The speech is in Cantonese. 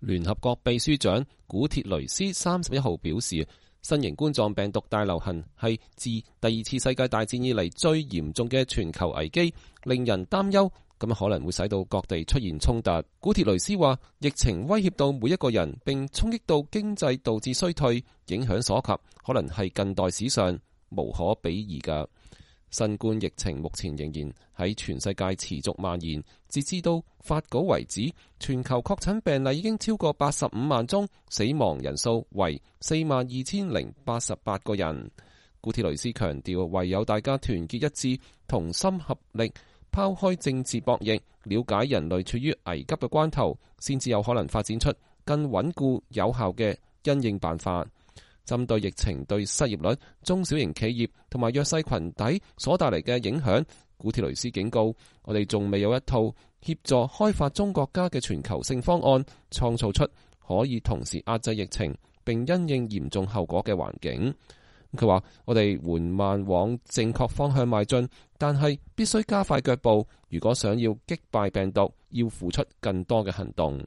聯合國秘書長古鐵雷斯31號表示，新型冠狀病毒大流行係自第二次世界大戰以嚟最嚴重嘅全球危機，令人擔憂，咁可能會使到各地出現衝突。古鐵雷斯話，疫情威脅到每一個人，並衝擊到經濟，導致衰退，影響所及，可能係近代史上無可比擬嘅。新冠疫情目前仍然喺全世界持續蔓延，截至到發稿為止，全球確診病例已經超過85萬宗，死亡人數為42,088個人。古鐵雷斯強調，唯有大家團結一致，同心合力，拋開政治博弈，了解人類處於危急嘅關頭，先至有可能發展出更穩固有效嘅因應辦法。針對疫情對失業率、中小型企業同埋弱勢群體所帶嚟嘅影響，古鐵雷斯警告，我哋仲未有一套協助開發中國家嘅全球性方案，創造出可以同時壓制疫情並因應嚴重後果嘅環境。佢話，我哋緩慢往正確方向邁進，但係必須加快腳步。如果想要擊敗病毒，要付出更多嘅行動。